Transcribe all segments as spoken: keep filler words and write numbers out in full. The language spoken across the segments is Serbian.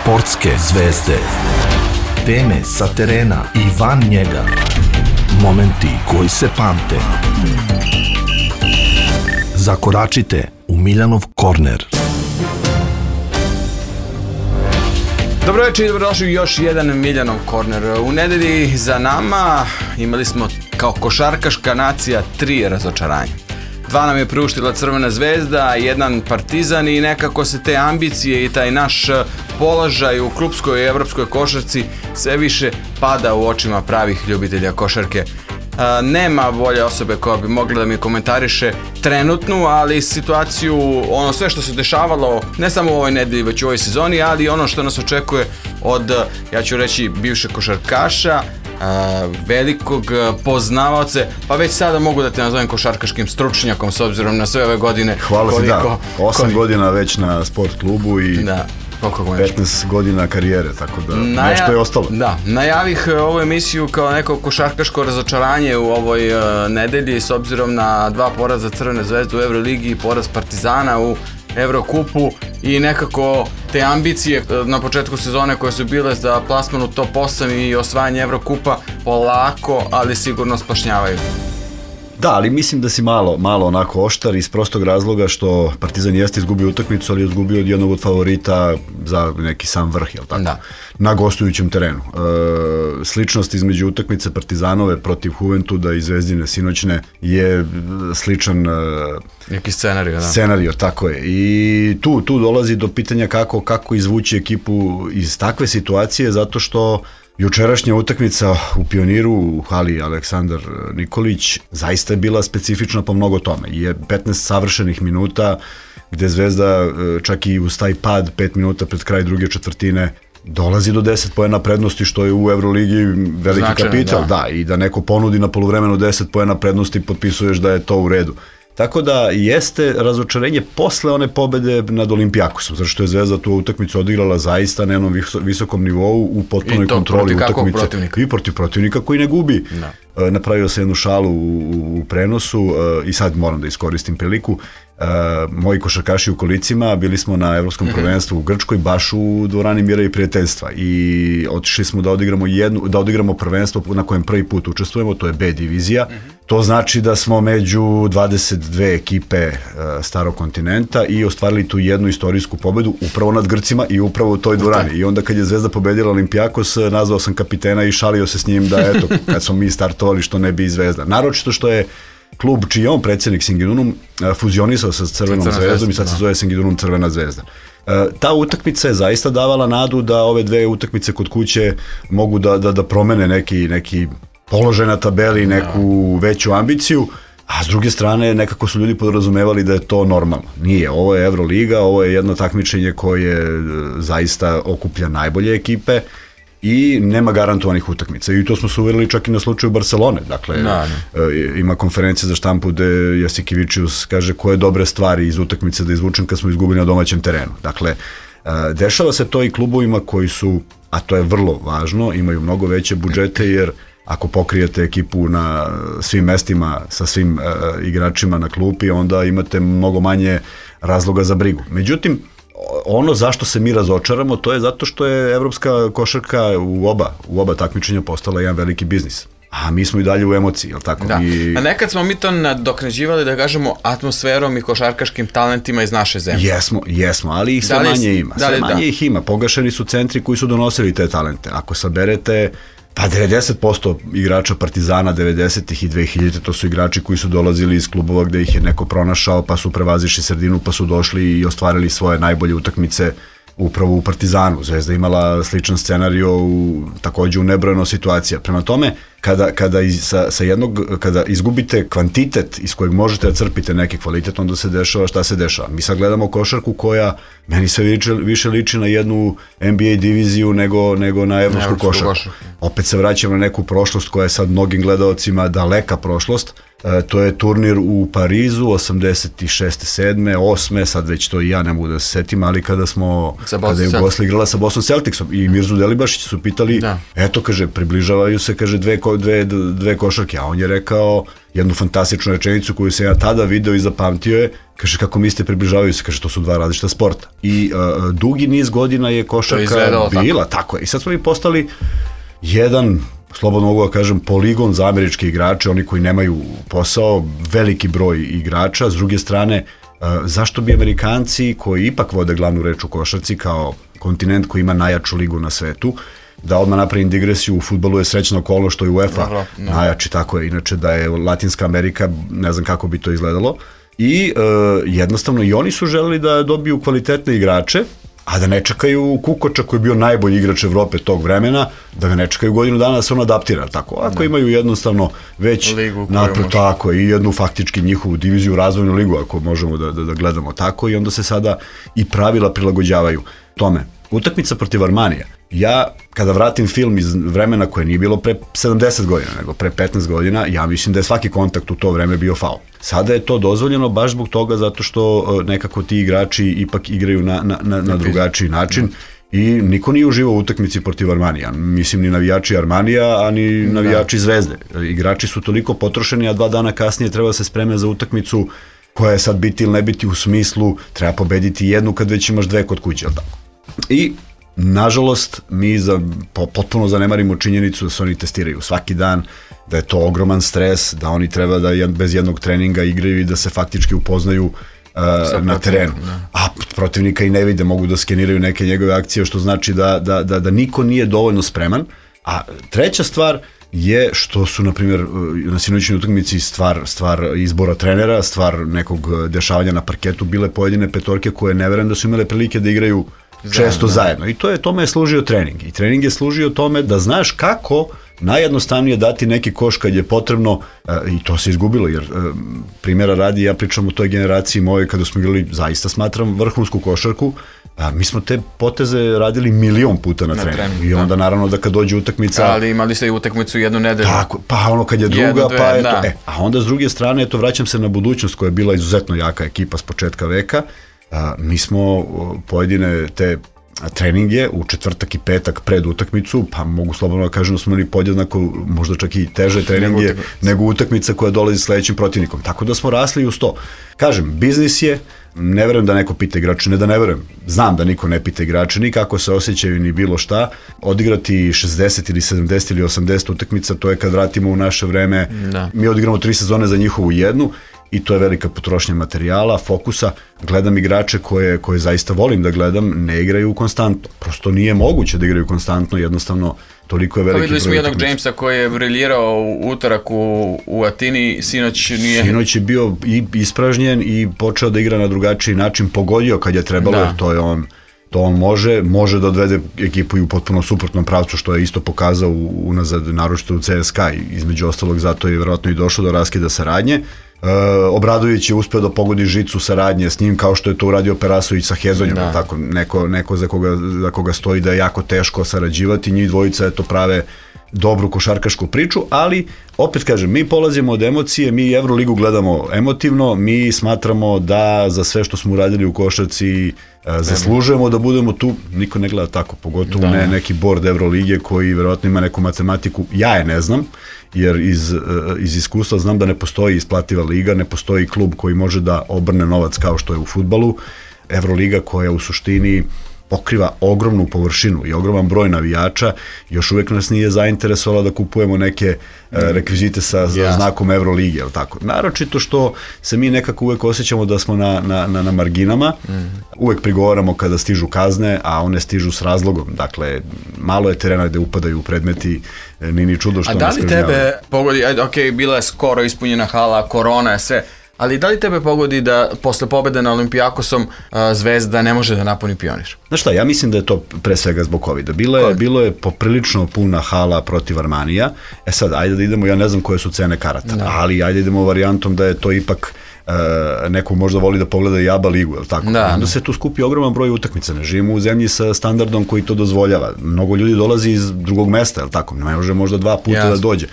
Sportske zvezde. Teme sa terena i van njega. Momenti koji se pamte. Zakoračite u Miljanov korner. Dobro večer i dobrodošli u još jedan Miljanov korner. U nedelji za nama imali smo kao košarkaška nacija tri razočaranja. Dva nam je priuštila Crvena zvezda, jedan Partizan i nekako se te ambicije i taj naš položaj u klupskoj i evropskoj košarci sve više pada u očima pravih ljubitelja košarke. Nema bolje osobe koja bi mogla da mi komentariše trenutnu, ali situaciju, ono sve što se dešavalo ne samo u ovoj nedelji, već u ovoj sezoni, ali ono što nas očekuje od, ja ću reći, bivšeg košarkaša, velikog poznavaoca, pa već sada mogu da te nazovem košarkaškim stručnjakom s obzirom na sve ove godine. Hvala koliko, si, da, osam koliko... godina već na sport klubu i da, petnaest godina karijere, tako da Naja... nešto je ostalo. Da, najavih ovu emisiju kao neko košarkaško razočaranje u ovoj uh, nedelji s obzirom na dva poraza Crvene zvezde u Euroligi i poraz Partizana u Evrokupu i nekako te ambicije na početku sezone koje su bile za plasman u top osam i osvajanje Evrokupa polako, ali sigurno splašnjavaju. Da, ali mislim da si malo, malo onako oštar iz prostog razloga što Partizan jeste izgubio utakmicu, ali je izgubio od jednog od favorita za neki sam vrh, jel tako? Da. Na gostujućem terenu. E, sličnost između utakmice Partizanove protiv Juventuda i Zvezdine sinoćne je sličan e, neki scenario, da. Scenario, tako je. I tu, tu dolazi do pitanja kako, kako izvući ekipu iz takve situacije, zato što jučerašnja utakmica u Pioniru u hali Aleksandar Nikolić zaista je bila specifična po mnogo tome. Je petnaest savršenih minuta gde Zvezda čak i uz taj pad pet minuta pred kraj druge četvrtine dolazi do deset poena prednosti, što je u Euroligi veliki Značajno, kapital. Da. da, i da neko ponudi na poluvremenu deset poena prednosti, potpisuješ da je to u redu. Tako da jeste razočarenje posle one pobede nad Olimpijakosom, zato što je Zvezda tu utakmicu odigrala zaista na jednom visokom nivou u potpunoj kontroli utakmice i protiv protivnika koji ne gubi. Da. Napravio se jednu šalu u, u prenosu i sad moram da iskoristim priliku. Uh, moji košarkaši u kolicima, bili smo na evropskom mm-hmm. prvenstvu u Grčkoj, baš u dvorani Mira i prijateljstva i otišli smo da odigramo jednu, da odigramo prvenstvo na kojem prvi put učestvujemo, to je B divizija. Mm-hmm. To znači da smo među dvadeset dve ekipe uh, starog kontinenta i ostvarili tu jednu istorijsku pobedu upravo nad Grcima i upravo u toj dvorani. I onda kad je Zvezda pobedila Olimpijakos, nazvao sam kapitena i šalio se s njim da eto, kad smo mi startovali što ne bi i Zvezda. Naročito što je klub čiji je on predsjednik Singidunum fuzionisao sa Crvenom zvezdom i sad se zove Singidunum Crvena zvezda. Ta utakmica je zaista davala nadu da ove dve utakmice kod kuće mogu da, da, da promene neki, neki položaj na tabeli, neku veću ambiciju, a s druge strane nekako su ljudi podrazumevali da je to normalno. Nije, ovo je Euroliga, ovo je jedno takmičenje koje zaista okuplja najbolje ekipe i nema garantovanih utakmica. I to smo se uverili čak i na slučaju Barcelone. Dakle, da, e, ima konferencija za štampu gde Jasikevičius kaže koje dobre stvari iz utakmice da izvučem kad smo izgubili na domaćem terenu. Dakle, e, dešava se to i klubovima koji su, a to je vrlo važno, imaju mnogo veće budžete, jer ako pokrijete ekipu na svim mestima sa svim e, igračima na klupi, onda imate mnogo manje razloga za brigu. Međutim, ono zašto se mi razočaramo, to je zato što je evropska košarka u oba, u oba takmičenja postala jedan veliki biznis. A mi smo i dalje u emociji, jel tako? Da. I... A nekad smo mi to nadoknađivali, da kažemo, atmosferom i košarkaškim talentima iz naše zemlje. Jesmo, jesmo, ali ih sve li, manje ima. Sve manje da. ih ima. Pogašeni su centri koji su donosili te talente. Ako saberete, pa devedeset posto igrača Partizana devedesetih i dvehiljaditih to su igrači koji su dolazili iz klubova gde ih je neko pronašao, pa su prevazišli sredinu, pa su došli i ostvarili svoje najbolje utakmice upravo u Partizanu. Zvezda imala sličan scenario u, takođe u nebrojeno situacija. Prema tome, kada, kada, iz, sa, sa jednog, kada izgubite kvantitet iz kojeg možete da crpite neki kvalitet, onda se dešava šta se dešava. Mi sad gledamo košarku koja meni sve više, više liči na jednu N B A diviziju nego, nego na evropsku košarku. košarku. Opet se vraćamo na neku prošlost koja je sad mnogim gledaocima daleka prošlost. E, to je turnir u Parizu osamdeset šeste, sedme, osme, sad već to i ja ne mogu da se setim, ali kada smo, kada je Jugoslavija igrala sa Boston Celticsom i Mirzu Delibašić su pitali, da. eto, kaže, približavaju se, kaže, dve dve, dve košarke, a on je rekao jednu fantastičnu rečenicu koju sam ja tada video i zapamtio je, kaže kako mislite približavaju se, kaže to su dva različita sporta. I uh, dugi niz godina je košarka bila, tako. tako je. I sad smo mi postali jedan, slobodno mogu da kažem, poligon za američke igrače, oni koji nemaju posao, veliki broj igrača. S druge strane, uh, zašto bi Amerikanci koji ipak vode glavnu reč u košarci kao kontinent koji ima najjaču ligu na svetu, da odmah napravim digresiju, u fudbalu je srećna okolnost što je UEFA no, no. najjači, tako je, inače da je Latinska Amerika, ne znam kako bi to izgledalo. I e, jednostavno i oni su želeli da dobiju kvalitetne igrače, a da ne čekaju Kukoča koji je bio najbolji igrač Evrope tog vremena, da ga ne čekaju godinu dana da se on adaptira, tako. Ako ne. Imaju jednostavno već napred, tako, i jednu faktički njihovu diviziju, razvojnu ligu, ako možemo da, da, da gledamo tako, i onda se sada i pravila prilagođavaju tome. Utakmica protiv Armanija. Ja, kada vratim film iz vremena koje nije bilo pre sedamdeset godina, nego pre petnaest godina, ja mislim da je svaki kontakt u to vreme bio faul. Sada je to dozvoljeno baš zbog toga zato što nekako ti igrači ipak igraju na, na, na, na drugačiji način i niko nije uživao u utakmici protiv Armanija. Mislim ni navijači Armanija, a ni navijači Zvezde. Igrači su toliko potrošeni, a dva dana kasnije treba se spreme za utakmicu koja je sad biti ili ne biti u smislu treba pobediti jednu kad već imaš dve kod kuće, ali tako. I nažalost, mi za, po, potpuno zanemarimo činjenicu da se oni testiraju svaki dan, da je to ogroman stres, da oni treba da jed, bez jednog treninga igraju i da se faktički upoznaju uh, na terenu. Da. A protivnika i ne vide, mogu da skeniraju neke njegove akcije, što znači da, da, da, da niko nije dovoljno spreman. A treća stvar je što su, na primjer, na sinoćnoj utakmici stvar, stvar izbora trenera, stvar nekog dešavanja na parketu, bile pojedine petorke koje ne verujem da su imale prilike da igraju često zajedno. I to je, tome je služio trening. I trening je služio tome da znaš kako najjednostavnije dati neki koš kad je potrebno, i to se izgubilo, jer primjera radi, ja pričam o toj generaciji moje kada smo igrali, zaista smatram, vrhunsku košarku, a mi smo te poteze radili milion puta na, na treningu. Trening, I onda da. Naravno da kad dođe utakmica... Ali imali ste i utakmicu jednu nedelju. Tako, pa ono kad je druga, jednu, dve, pa eto. Da. E, a onda s druge strane, eto, vraćam se na budućnost koja je bila izuzetno jaka ekipa s početka veka. A, mi smo pojedine te treninge u četvrtak i petak pred utakmicu, pa mogu slobodno da kažem da smo imali podjednako, možda čak i teže treninge nego, nego utakmica koja dolazi s sledećim protivnikom. Tako da smo rasli uz to. Kažem, biznis je, ne verujem da neko pita igrače, ne da ne verujem, znam da niko ne pita igrače, ni kako se osjećaju, ni bilo šta. Odigrati šezdeset ili sedamdeset ili osamdeset utakmica, to je kad vratimo u naše vreme, da. Mi odigramo tri sezone za njihovu jednu, i to je velika potrošnja materijala, fokusa. Gledam igrače koje, koje zaista volim da gledam, ne igraju konstantno. Prosto nije moguće da igraju konstantno, jednostavno toliko je veliki broj. Pa videli smo jednog Jamesa koji je briljirao u utorak u, u Atini, sinoć nije... Sinoć je bio i ispražnjen i počeo da igra na drugačiji način, pogodio kad je trebalo, da. Jer to je on... To on može, može da odvede ekipu i u potpuno suprotnom pravcu, što je isto pokazao unazad, naročito u C S K A, između ostalog zato je vjerojatno i došlo do raskida saradnje. E, Obradović je uspeo da pogodi žicu saradnje s njim, kao što je to uradio Perasović sa Hezonjom, da. Tako, neko, neko za, koga, za koga stoji da je jako teško sarađivati, njih dvojica eto prave dobru košarkašku priču, ali opet kažem, mi polazimo od emocije, mi Evroligu gledamo emotivno, mi smatramo da za sve što smo uradili u košarci zaslužujemo da budemo tu, niko ne gleda tako, pogotovo da. Ne neki board Evrolige koji verovatno ima neku matematiku, ja je ne znam, jer iz, iz iskustva znam da ne postoji isplativa liga, ne postoji klub koji može da obrne novac kao što je u fudbalu. Evroliga koja u suštini pokriva ogromnu površinu i ogroman broj navijača, još uvek nas nije zainteresovala da kupujemo neke mm. rekvizite sa, sa yes. znakom Evrolige, jel tako? Naročito što se mi nekako uvek osjećamo da smo na, na, na, na marginama, mm. uvek prigovaramo kada stižu kazne, a one stižu s razlogom, dakle, malo je terena gde upadaju predmeti, ni ni čudo što nas kažnjavaju. A da li tebe pogodi, ok, bila je skoro ispunjena hala, korona je sve, ali da li tebe pogodi da posle pobede na Olimpijakosom uh, Zvezda ne može da napuni Pionir? Znaš šta, ja mislim da je to pre svega zbog kovida. Bilo je, bilo je poprilično puna hala protiv Armanija. E sad, ajde da idemo, ja ne znam koje su cene karata, da. Ali ajde idemo varijantom da je to ipak uh, neko možda voli da pogleda i ABA ligu, jel tako? Da, onda se tu skupi ogroman broj utakmica. Ne živimo u zemlji sa standardom koji to dozvoljava. Mnogo ljudi dolazi iz drugog mesta, jel tako? Ne može možda dva puta Jasne. Da dođe.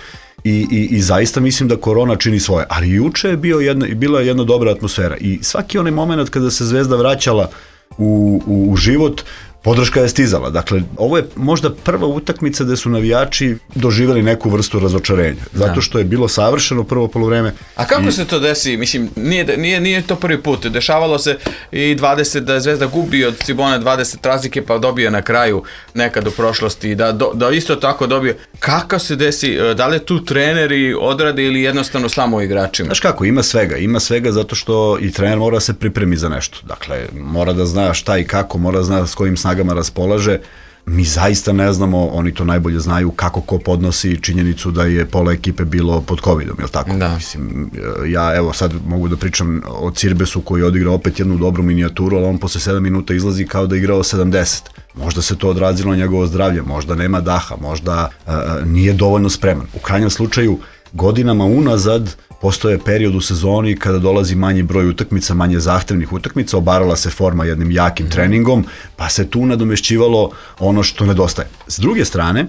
I, i, i zaista mislim da korona čini svoje, ali juče je bio jedna, bila je jedna dobra atmosfera i svaki onaj moment kada se Zvezda vraćala u, u, u život, podrška je stizala. Dakle, ovo je možda prva utakmica gde su navijači doživjeli neku vrstu razočarenja. Zato što je bilo savršeno prvo poluvreme. A kako i... se to desi? Mislim, nije, nije, nije to prvi put. Dešavalo se i dvadeset da je Zvezda gubi od Cibone dvadeset razlike pa dobije na kraju nekad u prošlosti. Da, do, da isto tako dobije. Kako se desi? Da li tu treneri odrade ili jednostavno samo igračima? Znaš kako, ima svega. Ima svega zato što i trener mora se pripremi za nešto. Dakle, mora da zna šta i kako, mora da zna s kojim snagama raspolaže. Mi zaista ne znamo, oni to najbolje znaju kako ko podnosi činjenicu da je pola ekipe bilo pod covidom, jel tako? Da. Mislim, ja evo sad mogu da pričam o Cirbesu koji je odigrao opet jednu dobru minijaturu, ali on posle sedam minuta izlazi kao da je igrao sedamdeset. Možda se to odrazilo na njegovo zdravlje, možda nema daha, možda uh, nije dovoljno spreman. U krajnjem slučaju, godinama unazad postoje period u sezoni kada dolazi manji broj utakmica, manje zahtevnih utakmica, obarala se forma jednim jakim treningom, pa se tu nadomešćivalo ono što nedostaje. S druge strane,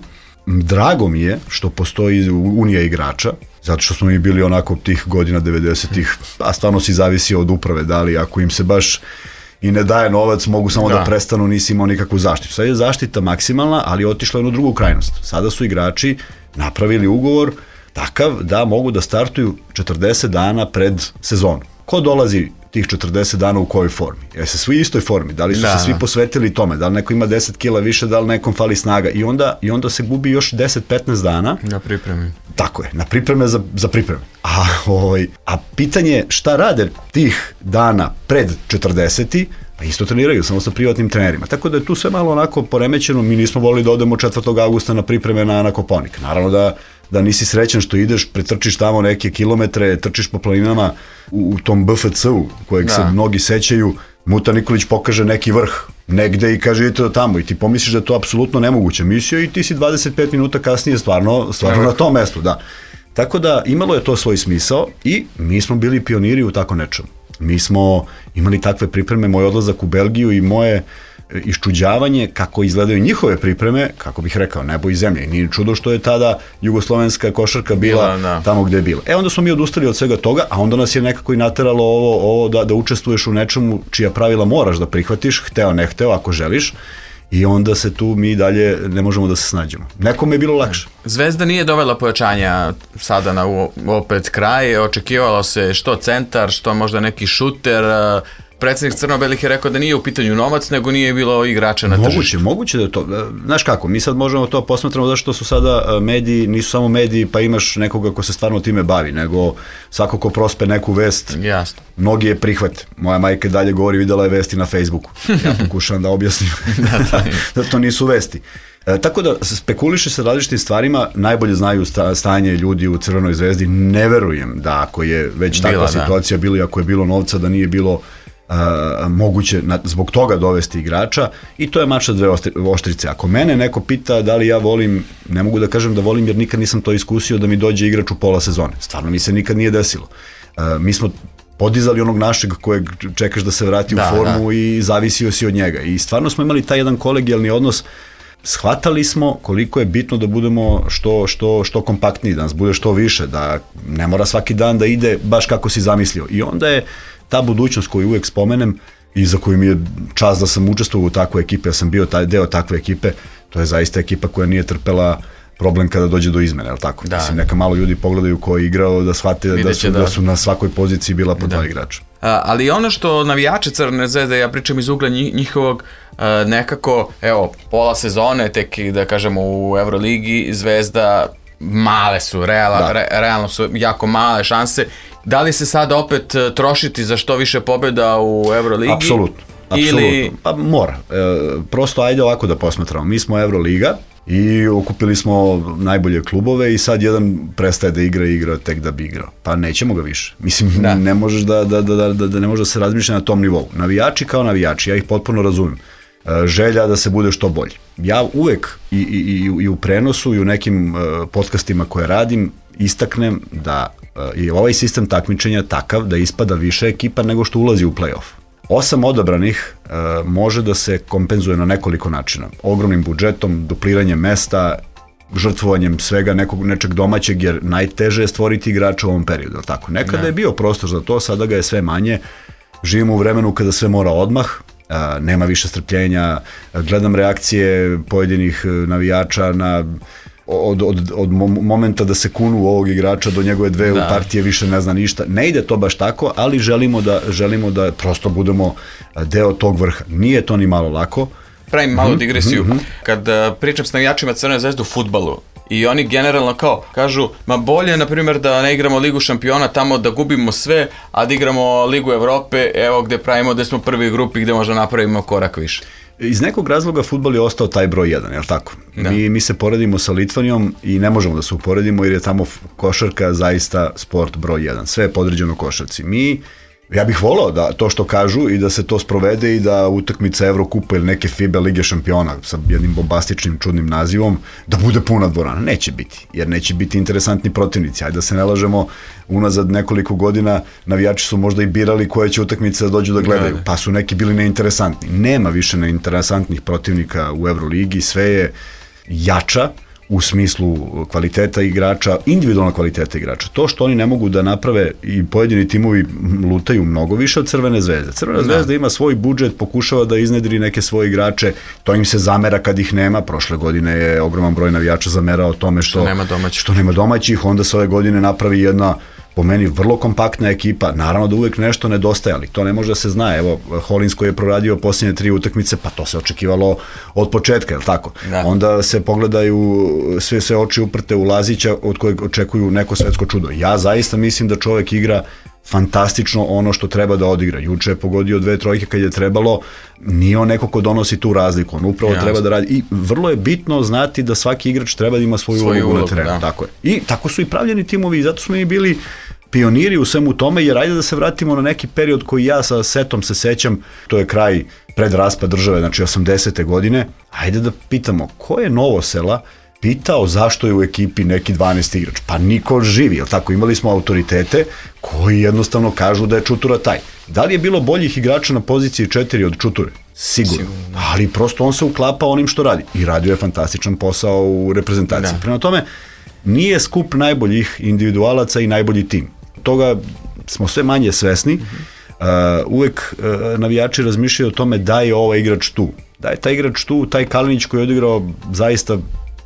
drago mi je što postoji unija igrača, zato što smo mi bili onako tih godina devedesetih, a stvarno si zavisi od uprave, da li ako im se baš i ne daje novac, mogu samo da, da prestanu, nisi imao nikakvu zaštitu. Sad je zaštita maksimalna, ali otišla je u drugu krajnost. Sada su igrači napravili ugovor takav da mogu da startuju četrdeset dana pred sezonu. Ko dolazi tih četrdeset dana u kojoj formi? Jer se svi u istoj formi, da li su da, se svi da. posvetili tome, da li neko ima deset kila više, da li nekom fali snaga i onda, i onda se gubi još deset do petnaest dana. Na pripremi. Tako je, na pripreme za, za pripreme. A, ovaj, a pitanje šta rade tih dana pred četrdeseti, pa isto treniraju, samo sa privatnim trenerima. Tako da je tu sve malo onako poremećeno, mi nismo volili da odemo četvrtog avgusta na pripreme na, na Kopaonik. Naravno da da nisi srećan što ideš, pretrčiš tamo neke kilometre, trčiš po planinama u, u tom B F C-u, kojeg da. se mnogi sećaju, Muta Nikolić pokaže neki vrh negde i kaže idete do tamo i ti pomisliš da je to apsolutno nemoguća misija i ti si dvadeset pet minuta kasnije stvarno, stvarno na tom mestu, da. Tako da imalo je to svoj smisao i mi smo bili pioniri u tako nečemu. Mi smo imali takve pripreme, moj odlazak u Belgiju i moje iščuđavanje kako izgledaju njihove pripreme, kako bih rekao, nebo i zemlje. I nije čudo što je tada jugoslovenska košarka bila, bila tamo gde je bila. E onda smo mi odustali od svega toga, a onda nas je nekako i nateralo ovo, ovo da, da učestvuješ u nečemu čija pravila moraš da prihvatiš, hteo ne hteo, ako želiš. I onda se tu mi dalje ne možemo da se snađemo. Nekome je bilo lakše. Zvezda nije dovela pojačanja sada na opet kraj. Očekivalo se što centar, što možda neki šuter. Predsjednik Crno-belih je rekao da nije u pitanju novac, nego nije bilo igrača na moguće, tržištu. Moguće da je to. Znaš kako, mi sad možemo to posmatramo zato što su sada mediji, nisu samo mediji pa imaš nekoga ko se stvarno time bavi, nego svako ko prospe neku vest, jasno. Mnogi je prihvate. Moja majka dalje govori, videla je vesti na Facebooku. Ja pokušavam da objasnim da, da, da to nisu vesti. E, tako da spekuliše sa različitim stvarima, najbolje znaju sta, stanje ljudi u Crvenoj zvezdi, ne verujem da ako je već takva bila, situacija bila i ako je bilo novca da nije bilo Uh, moguće na, zbog toga dovesti igrača i to je mač sa dve oštrice. Ako mene neko pita da li ja volim, ne mogu da kažem da volim jer nikad nisam to iskusio da mi dođe igrač u pola sezone. Stvarno mi se nikad nije desilo. Uh, mi smo podizali onog našeg kojeg čekaš da se vrati da, u formu da. I zavisio si od njega. I stvarno smo imali taj jedan kolegijalni odnos. Shvatali smo koliko je bitno da budemo što, što, što kompaktniji, da nas bude što više, da ne mora svaki dan da ide baš kako si zamislio. I onda je ta budućnost koju uvek spomenem i za koju mi je čast da sam učestvovao u takvoj ekipe, ja sam bio taj deo takve ekipe, to je zaista ekipa koja nije trpela problem kada dođe do izmene, je li tako? Da. Mislim, neka malo ljudi pogledaju ko je igrao da shvate da su, da. da su na svakoj poziciji bila po da. dva igrača. A, ali ono što navijače Crvene zvezde, ja pričam iz ugla njihovog, a, nekako, evo, pola sezone, tek da kažemo u Euroligi, Zvezda male su, reala, da. re, realno su jako male šanse. Da li se sada opet trošiti za što više pobjeda u Euroligi? Apsolutno, apsolutno. Ili... Pa mora. E, prosto ajde ovako da posmatramo. Mi smo Euroliga i okupili smo najbolje klubove i sad jedan prestaje da igra i igra tek da bi igrao. Pa nećemo ga više. Mislim, da. ne možeš da, da, da, da, da ne može da se razmišlja na tom nivou. Navijači kao navijači, ja ih potpuno razumem. Želja da se bude što bolji. Ja uvek i, i, i u prenosu i u nekim uh, podcastima koje radim istaknem da uh, je ovaj sistem takmičenja takav da ispada više ekipa nego što ulazi u play-off. Osam odabranih uh, može da se kompenzuje na nekoliko načina. Ogromnim budžetom, dupliranjem mesta, žrtvovanjem svega nekog nečeg domaćeg, jer najteže je stvoriti igrača u ovom periodu. Tako? Nekada ne. je bio prostor za to, sada ga je sve manje. Živimo u vremenu kada sve mora odmah, nema više strpljenja, gledam reakcije pojedinih navijača na od, od, od momenta da se kunu u ovog igrača do njegove dve da. u partije više ne zna ništa. Ne ide to baš tako, ali želimo da, želimo da prosto budemo deo tog vrha. Nije to ni malo lako. Pravim malu digresiju. Mm-hmm. Kad uh, pričam s navijačima Crvene zvezde u fudbalu, i oni generalno kao kažu, ma bolje na primjer da ne igramo Ligu šampiona tamo da gubimo sve, a da igramo Ligu Evrope, evo gde pravimo da smo prvi grupi gde možda napravimo korak više. Iz nekog razloga fudbal je ostao taj broj jedan, je li tako? Mi, mi se poredimo sa Litvanijom i ne možemo da se uporedimo jer je tamo košarka zaista sport broj jedan. Sve je podređeno košarci. Mi, ja bih volao da to što kažu i da se to sprovede i da utakmica Evrokupa ili neke FIBA Lige šampiona sa jednim bombastičnim čudnim nazivom da bude puna dvorana. Neće biti, jer neće biti interesantni protivnici. Ajde da se ne lažemo, unazad nekoliko godina navijači su možda i birali koje će utakmice da dođu da gledaju, pa su neki bili neinteresantni. Nema više neinteresantnih protivnika u Evroligi, sve je jača u smislu kvaliteta igrača, individualna kvaliteta igrača. To što oni ne mogu da naprave i pojedini timovi lutaju mnogo više od Crvene zvezde. Crvena da. zvezda ima svoj budžet, pokušava da iznedri neke svoje igrače, to im se zamera kad ih nema. Prošle godine je ogroman broj navijača zamerao tome što, što, nema, domaćih. što nema domaćih, onda se ove godine napravi jedna po meni vrlo kompaktna ekipa, naravno da uvek nešto nedostaje, ali to ne može da se zna. Evo, Hollins koji je proradio posljednje tri utakmice, pa to se očekivalo od početka, je li tako? Da. Onda se pogledaju sve, sve oči uprte u Lazića od kojeg očekuju neko svetsko čudo. Ja zaista mislim da čovek igra fantastično ono što treba da odigra. Juče je pogodio dve trojke kad je trebalo, nije on neko ko donosi tu razliku, on upravo Jasne. treba da radi. I vrlo je bitno znati da svaki igrač treba da ima svoju, svoju ulogu na terenu. Da. Tako je. I tako su i pravljeni timovi i zato smo mi bili pioniri u svemu tome, jer ajde da se vratimo na neki period koji ja sa setom se sećam, to je kraj pred raspad države, znači osamdesete godine, ajde da pitamo ko je Novosela pitao zašto je u ekipi neki dvanaesti igrač. Pa niko živi, jel tako? Imali smo autoritete koji jednostavno kažu da je Čutura taj. Da li je bilo boljih igrača na poziciji četiri od Čuture? Sigurno. Sigurno. Ali prosto on se uklapa onim što radi. I radio je fantastičan posao u reprezentaciji. Da. Prema tome, nije skup najboljih individualaca i najbolji tim. Toga smo sve manje svesni. Uh, uvek uh, navijači razmišljaju o tome da je ovaj igrač tu. Da je taj igrač tu, taj Kalinić koji je odigrao zaista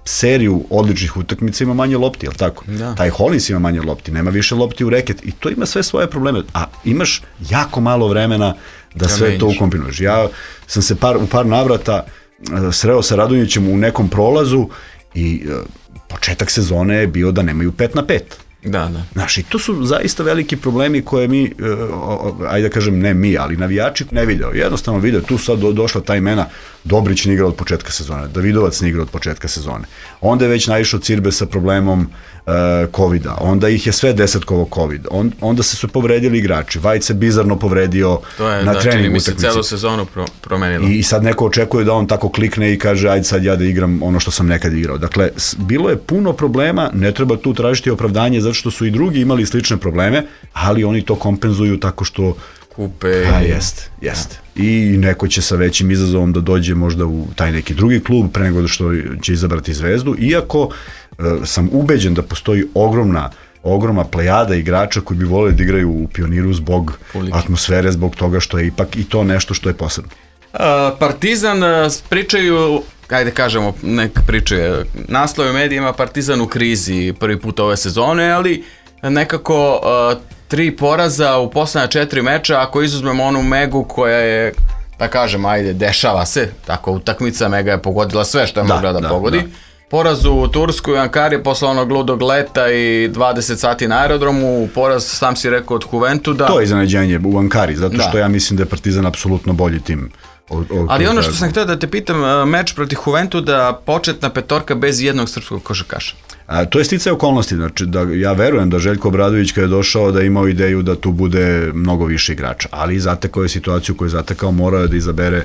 seriju odličnih utakmica ima manje lopti, je li tako? Da. Taj Hollins ima manje lopti, nema više lopti u reket i to ima sve svoje probleme, a imaš jako malo vremena da ja sve menjiš. To ukombinuješ. Ja sam se par, u par navrata uh, sreo sa Radonjićem u nekom prolazu i uh, početak sezone je bio da nemaju pet na pet. Da, da. Znaš, i to su zaista veliki problemi koje mi, uh, ajde da kažem ne mi, ali navijači ne video. Jednostavno video, tu sad do, došla ta imena, Dobrić ne igra od početka sezone, Davidovac ne igra od početka sezone. Onda je već naišao Cirbe sa problemom uh, covida, onda ih je sve desetkovo covid, On, onda se su povredili igrači, Vajc se bizarno povredio to je, na da, trening utakmici. To je, celu sezonu pro, promenilo. I, I sad neko očekuje da on tako klikne i kaže, ajde sad ja da igram ono što sam nekad igrao. Dakle, bilo je puno problema, ne treba tu tražiti opravdanje zato što su i drugi imali slične probleme, ali oni to kompenzuju tako što kupe. A, jest, jest. I neko će sa većim izazovom da dođe možda u taj neki drugi klub pre nego što će izabrati Zvezdu, iako e, sam ubeđen da postoji ogromna ogromna plejada igrača koji bi voleli da igraju u Pioniru zbog Publike. atmosfere, zbog toga što je ipak i to nešto što je posebno. Uh, Partizan uh, pričaju, ajde kažemo, neka pričaju, naslov u medijima Partizan u krizi prvi put ove sezone, ali nekako uh, tri poraza u poslednja četiri meča, ako izuzmemo onu Megu koja je, da kažem, ajde, dešava se, tako utakmica, Mega je pogodila sve što je da, mogla da, da pogodi. Da. Poraz u Tursku i Ankari posle onog ludog leta i dvadeset sati na aerodromu, poraz, sam si rekao, od Juventuda. To je iznenađenje u Ankari, zato što da. ja mislim da je Partizan apsolutno bolji tim. O, o, Ali ono što sam htio da te pitam, meč protiv Juventuda, početna petorka bez jednog srpskog košarkaša. A, to je sticaj okolnosti, znači da ja verujem da Željko Obradović kada je došao da je imao ideju da tu bude mnogo više igrača, ali zatekao je situaciju koju je zatekao, morao je da izabere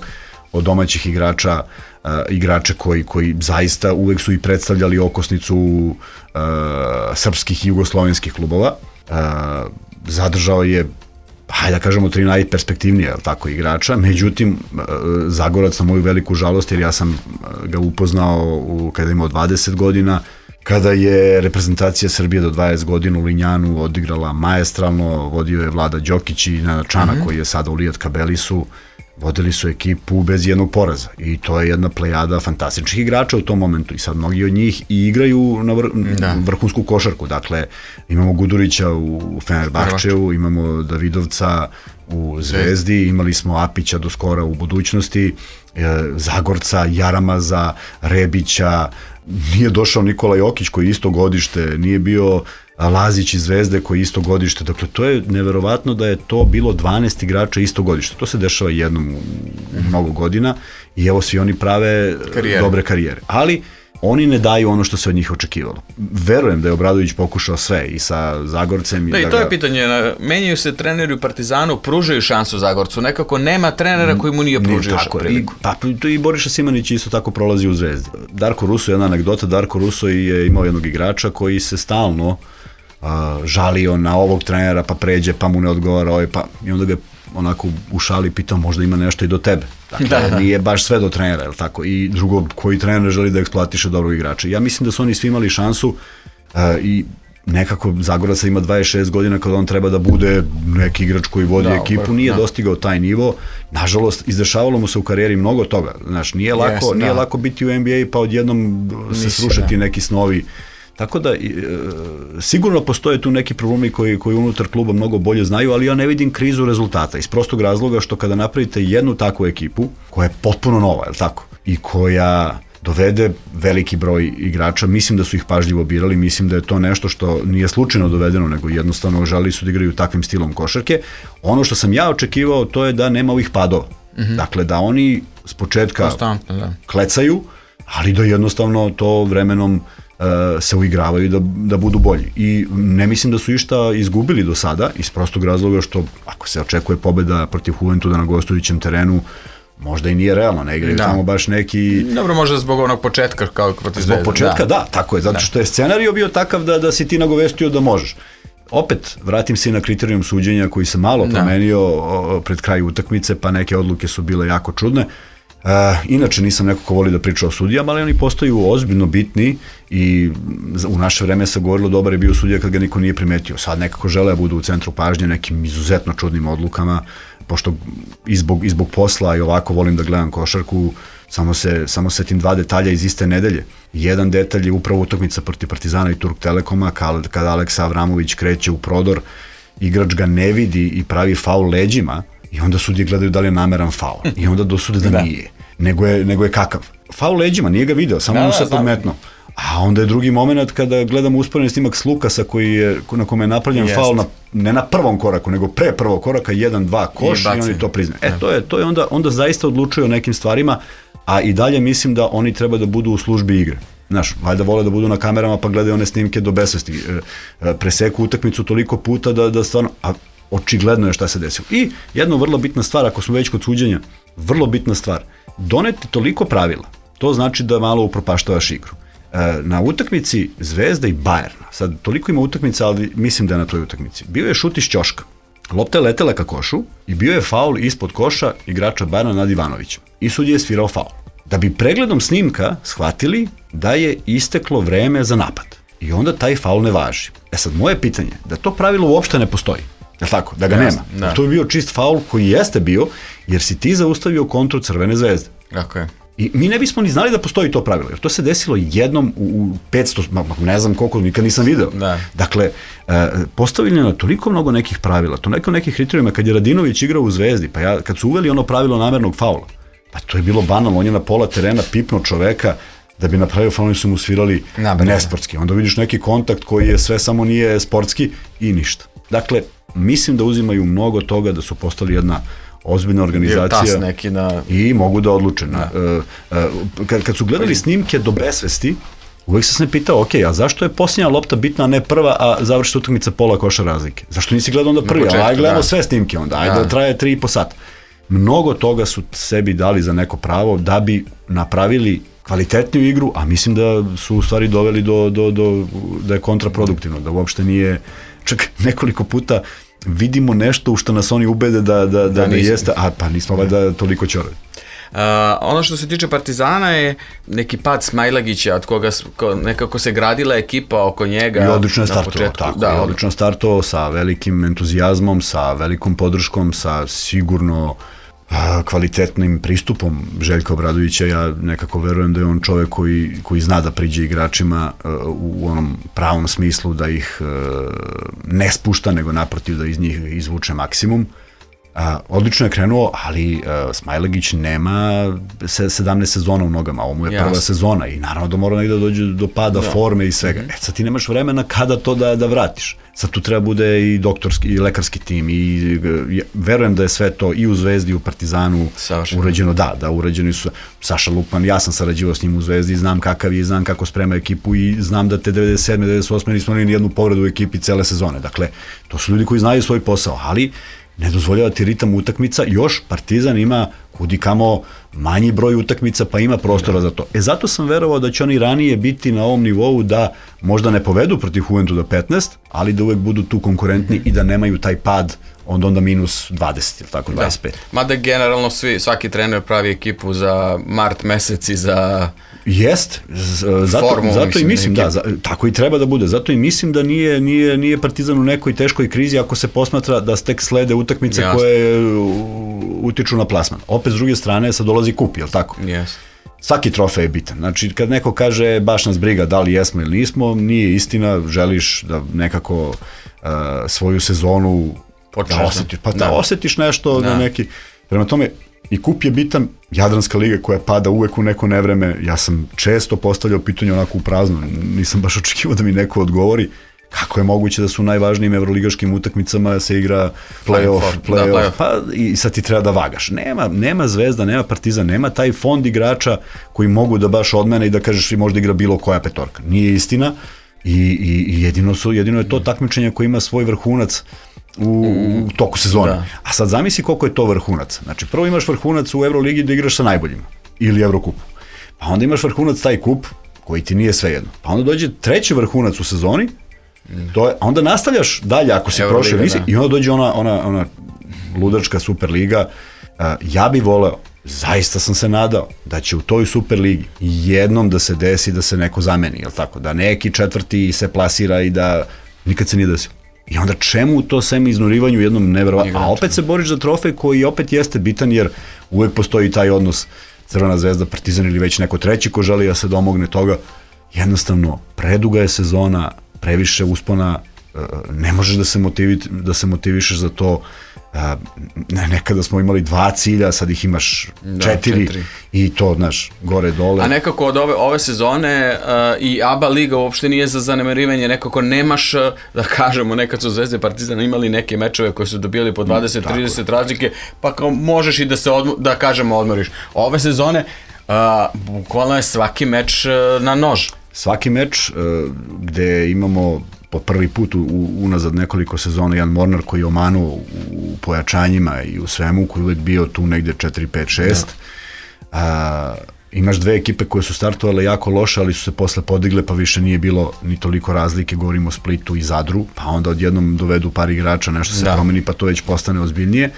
od domaćih igrača uh, igrače koji, koji zaista uvek su i predstavljali okosnicu uh, srpskih i jugoslovenskih klubova. Uh, zadržao je, hajde da kažemo, tri najperspektivnije tako, igrača, međutim Zagorac na moju veliku žalost, jer ja sam ga upoznao u, kada je imao dvadeset godina, kada je reprezentacija Srbije do dvadeset godina u Linjanu odigrala maestralno, vodio je Vlada Đokić i Nenad Čanak, mm-hmm. koji je sada u Lijat Kabelisu. vodili su ekipu bez jednog poraza i to je jedna plejada fantastičnih igrača u tom momentu i sad mnogi od njih i igraju na vr da. vrhunsku košarku, dakle imamo Gudurića u Fenerbahčeu, imamo Davidovca u Zvezdi, imali smo Apića do skora u budućnosti, Zagorca, Jaramaza, Rebića, nije došao Nikola Jokić koji je isto godište, nije bio Lazić iz Zvezde koji je isto godište, dakle to je neverovatno da je to bilo dvanaest igrača isto godište, to se dešava jednom u, u mnogo godina i evo svi oni prave karijere. dobre karijere, ali oni ne daju ono što se od njih očekivalo. Verujem da je Obradović pokušao sve i sa Zagorcem. Da, i i da to ga... je pitanje. Menjaju se treneri u Partizanu, pružaju šansu Zagorcu. Nekako nema trenera koji mu nije pružio priliku. Pa i Boriša Simanić isto tako prolazi u Zvezdi. Darko Russo, jedna anegdota, Darko Russo je imao jednog igrača koji se stalno uh, žalio na ovog trenera, pa pređe, pa mu ne odgovara ovaj, pa i onda ga onako u šali pitao možda ima nešto i do tebe. Dakle, da, da. Nije baš sve do trenera, jel tako? I drugo, koji trener želi da eksploatiše dobrog igrača. Ja mislim da su oni svi imali šansu uh, i nekako Zagorac ima dvadeset šest godina kada on treba da bude neki igrač koji vodi da, ekipu, nije da. dostigao taj nivo. Nažalost, izdešavalo mu se u karijeri mnogo toga. Znaš, nije lako, yes, nije da. lako biti u N B A pa odjednom se srušiti neki snovi. Tako da, e, sigurno postoje tu neki problemi koji, koji unutar kluba mnogo bolje znaju, ali ja ne vidim krizu rezultata iz prostog razloga što kada napravite jednu takvu ekipu, koja je potpuno nova, je li tako? I koja dovede veliki broj igrača, mislim da su ih pažljivo birali, mislim da je to nešto što nije slučajno dovedeno, nego jednostavno želeli su da igraju takvim stilom košarke. Ono što sam ja očekivao, to je da nema ovih padova. Mm-hmm. Dakle, da oni s početka da. klecaju, ali da jednostavno to vremenom se uigravaju da, da budu bolji. I ne mislim da su išta izgubili do sada, iz prostog razloga što ako se očekuje pobeda protiv Juventuda na gostujućem terenu, možda i nije realno, ne igraju da. tamo baš neki... Dobro, možda zbog onog početka kao protiv Zvezde. Zbog početka, da. da, tako je, zato što je scenario bio takav da, da si ti nagovestio da možeš. Opet, vratim se na kriterijum suđenja koji se malo promenio da. pred kraj utakmice, pa neke odluke su bile jako čudne. Uh, inače nisam neko ko voli da priča o sudijama, ali oni postaju ozbiljno bitni i u naše vreme se govorilo dobar je bio sudija kad ga niko nije primetio. Sad nekako žele da budu u centru pažnje nekim izuzetno čudnim odlukama, pošto i zbog, i zbog posla i ovako volim da gledam košarku, samo se, samo se tim dva detalja iz iste nedelje. Jedan detalj je upravo utakmica protiv Partizana i Turk Telekoma, kada, kada Aleksa Avramović kreće u prodor, igrač ga ne vidi i pravi faul leđima, i onda sudije gledaju da li je nameran faul. I onda dosude da, da. nije. Nego je, nego je kakav. Faul leđima, nije ga video, samo da, mu se podmetno. A onda je drugi moment kada gledamo usporeni snimak s Lukasa koji je, na kome je napravljen Jest. faul na, ne na prvom koraku, nego pre prvog koraka, jedan, dva, koš i, i oni to priznaju. E, to je, to je onda, onda zaista odlučuju o nekim stvarima, a i dalje mislim da oni treba da budu u službi igre. Znaš, valjda vole da budu na kamerama pa gledaju one snimke do besvesti. Preseku utakmicu toliko puta da, da stvarno... A, očigledno je šta se desilo. I jedna vrlo bitna stvar, ako smo već kod suđenja, vrlo bitna stvar, doneti toliko pravila, to znači da malo upropaštavaš igru. E, na utakmici Zvezda i Bajerna, sad toliko ima utakmica, ali mislim da je na toj utakmici, bio je šut iz ćoška, lopta je letela ka košu i bio je faul ispod koša igrača Bajerna nad Ivanovićem. I sudija je svirao faul. Da bi pregledom snimka shvatili da je isteklo vreme za napad. I onda taj faul ne važi. E sad, moje pitanje, da to pravilo uopšte ne postoji. Je tako? Da ga Jasne, nema. Da. To je bio čist faul koji jeste bio, jer si ti zaustavio kontru Crvene Zvezde. Tako je. I mi ne bismo ni znali da postoji to pravilo, jer to se desilo jednom u, u petsto, ne znam koliko, nikad nisam video. Da. Dakle, e, postavljeno je toliko mnogo nekih pravila, to neko nekih kriterijuma, kad je Radinović igrao u Zvezdi, pa ja, kad su uveli ono pravilo namernog faula, pa to je bilo banalno, on je na pola terena pipno čoveka, da bi napravio faul, oni su mu svirali Nabrano. nesportski. Onda vidiš neki kontakt koji je sve samo nije sportski i ništa. Dakle, mislim da uzimaju mnogo toga, da su postali jedna ozbiljna organizacija neki na... i mogu da odluče. Da. Uh, uh, kad, kad su gledali snimke do besvesti, uvek sam se pitao, ok, a zašto je posljednja lopta bitna, a ne prva, a završi utakmica pola koša razlike? Zašto nisi gledao onda prvi? Početku, aj gledamo da. sve snimke onda, ajde da traje tri i po sata. Mnogo toga su sebi dali za neko pravo da bi napravili kvalitetniju igru, a mislim da su u stvari doveli do, do, do da je kontraproduktivno, da uopšte nije, čak nekoliko puta vidimo nešto u što nas oni ubede da, da, da, da, da jeste, a pa nismo valjda toliko ćorovi. Uh, ono što se tiče Partizana je neki pad Smajlagića, od koga ko, nekako se gradila ekipa oko njega. I odlično je startovao, tako, da, i odlično je startovao sa velikim entuzijazmom, sa velikom podrškom, sa sigurno kvalitetnim pristupom Željka Obradovića. Ja nekako verujem da je on čovjek koji, koji zna da priđe igračima u onom pravom smislu, da ih ne spušta, nego naprotiv da iz njih izvuče maksimum. A, odlično je krenuo, ali a, Smailagić nema sedamnaest sezona u nogama, ovo mu je prva Jasne. sezona i naravno da mora negdje da dođe do pada da. forme i svega. Mm-hmm. E sad ti nemaš vremena kada to da, da vratiš. Sad tu treba bude i doktorski i lekarski tim i, i verujem da je sve to i u Zvezdi i u Partizanu Saša. uređeno, da, da uređeni su Saša Lukman, ja sam sarađivao s njim u Zvezdi, znam kakav je, znam kako sprema ekipu i znam da te devedeset sedme devedeset osme nismo imali ni jednu povredu u ekipi cele sezone. Dakle, to su ljudi koji znaju svoj posao, ali ne dozvoljava ti ritam utakmica, još Partizan ima kudi kamo manji broj utakmica, pa ima prostora za to. E zato sam verovao da će oni ranije biti na ovom nivou da možda ne povedu protiv Juventuda petnaest, ali da uvek budu tu konkurentni mm-hmm. i da nemaju taj pad onda onda minus dvadeset ili tako dvadeset pet. Da. Mada generalno svi, svaki trener pravi ekipu za mart mesec i za Jest, zato, formu, zato mislim, i mislim, da, za, tako i treba da bude, zato i mislim da nije, nije, nije Partizan u nekoj teškoj krizi ako se posmatra da tek slede utakmice Jasne. koje utiču na plasman. Opet s druge strane sad dolazi kup, jel tako? Yes. Svaki trofej je bitan. Znači, kad neko kaže baš nas briga da li jesmo ili nismo, nije istina, želiš da nekako uh, svoju sezonu Počeš, da osjetiš, pa da, da osjetiš nešto da. na neki, prema tome i kup je bitan, Jadranska liga koja pada uvek u neko nevreme, ja sam često postavljao pitanje onako u prazno, nisam baš očekivao da mi neko odgovori kako je moguće da su u najvažnijim evroligaškim utakmicama se igra play-off, play-off, da, play-off. Pa i sad ti treba da vagaš. Nema, nema Zvezda, nema Partizan, nema taj fond igrača koji mogu da baš odmene i da kažeš i možda igra bilo koja petorka. Nije istina i, i, i jedino, su, jedino je to takmičenje koje ima svoj vrhunac U, u toku sezone. Da. A sad zamisli koliko je to vrhunac. Znači prvo imaš vrhunac u Euroligi da igraš sa najboljima ili Evrokupu. Pa onda imaš vrhunac taj kup koji ti nije svejedno. Pa onda dođe treći vrhunac u sezoni, to je, a onda nastavljaš dalje ako si prošao nisi i onda dođe ona, ona, ona ludačka Superliga. Uh, ja bih voleo, zaista sam se nadao da će u toj Superligi jednom da se desi da se neko zameni, jel tako? Da neki četvrti se plasira i da nikad se nije desilo. I onda čemu to sem iznurivanju jednom neverovatno, a opet se boriš za trofej koji opet jeste bitan jer uvek postoji taj odnos Crvena zvezda, Partizan ili već neko treći ko želi da se domogne toga. Jednostavno, preduga je sezona, previše uspona, ne možeš da se, motivi, da se motivišeš za to. Nekada smo imali dva cilja, sad ih imaš četiri, da, četiri. I to, znaš, gore, dole. A nekako od ove, ove sezone uh, i A B A liga uopšte nije za zanemarivanje, nekako nemaš, da kažemo, nekad su Zvezde i Partizan imali neke mečeve koje su dobijali po dvadeset trideset razlike, pa kao možeš i da se, odmo, da kažemo, odmoriš. Ove sezone, uh, bukvalno je svaki meč uh, na nož. Svaki meč uh, gde imamo po prvi put u, unazad nekoliko sezona Jan Mornar koji je omanuo u pojačanjima i u svemu, koji je uvek bio tu negde četiri pet šest. A, imaš dve ekipe koje su startovale jako loše, ali su se posle podigle, pa više nije bilo ni toliko razlike, govorimo o Splitu i Zadru, pa onda odjednom dovedu par igrača, nešto se da. promeni, pa to već postane ozbiljnije.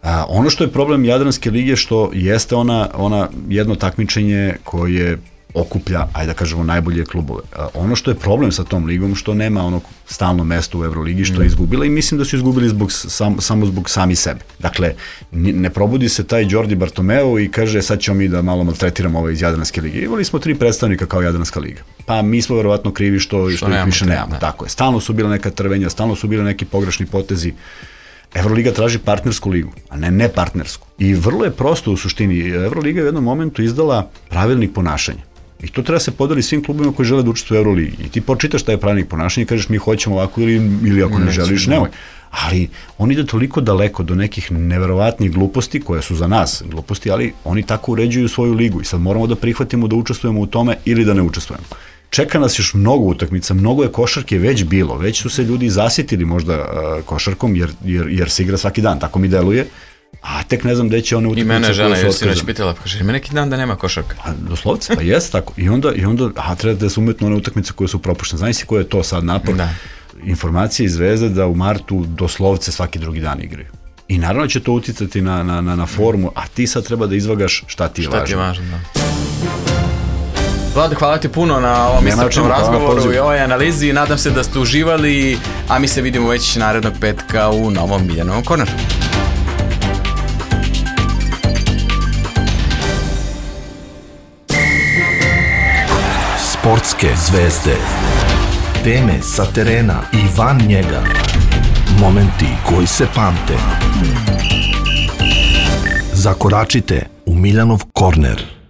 A, ono što je problem Jadranske lige, što jeste ona, ona jedno takmičenje koje okuplja, ajde da kažemo, najbolje klubove. A ono što je problem sa tom ligom, što nema ono stalno mesto u Euroligi, što je izgubila i mislim da su izgubili zbog, sam, samo zbog sami sebe. Dakle, ne probudi se taj Đorđe Bartomeu i kaže sad ćemo mi da malo maltretiramo ove iz Jadranske lige. Imali smo tri predstavnika kao Jadranska liga. Pa mi smo verovatno krivi što, što, što ih više nemamo. Ne. Tako je. Stalno su bila neka trvenja, stalno su bile neki pogrešni potezi. Euroliga traži partnersku ligu, a ne ne partnersku. I vrlo je prosto u suštini. Euroliga je u jednom momentu izdala pravilnik ponašanja. I to treba se podeli svim klubima koji žele da učestvuju u Euroligi. I ti počitaš šta je pravilnik ponašanja i kažeš mi hoćemo ovako ili, ili ako ne, ne želiš, nemoj. Ali on ide toliko daleko do nekih neverovatnih gluposti, koje su za nas gluposti, ali oni tako uređuju svoju ligu i sad moramo da prihvatimo da učestvujemo u tome ili da ne učestvujemo. Čeka nas još mnogo utakmica, mnogo je košarke već bilo, već su se ljudi zasitili možda uh, košarkom jer, jer, jer se igra svaki dan, tako mi deluje. A tek ne znam gde će one utakmice. I mene žena je sinoć pitala, kaže, ima neki dan da nema košarka. A doslovce, pa jeste tako. I onda, i onda a treba da se umetno one utakmice koje su propuštene. Znaš si koje je to sad napor? Da. Informacije iz Zvezde da u martu doslovce svaki drugi dan igraju. I naravno će to uticati na, na, na, na formu, a ti sad treba da izvagaš šta ti je šta važno. Šta ti je važno, da. Vlade, hvala ti puno na ovom iscrpnom razgovoru i ovoj analizi. Nadam se da ste uživali, a mi se vidimo već narednog petka u novom Miljanovom korneru. Sportske zvezde. Teme sa terena i van njega. Momenti koji se pamte. Zakoračite u Miljanov korner.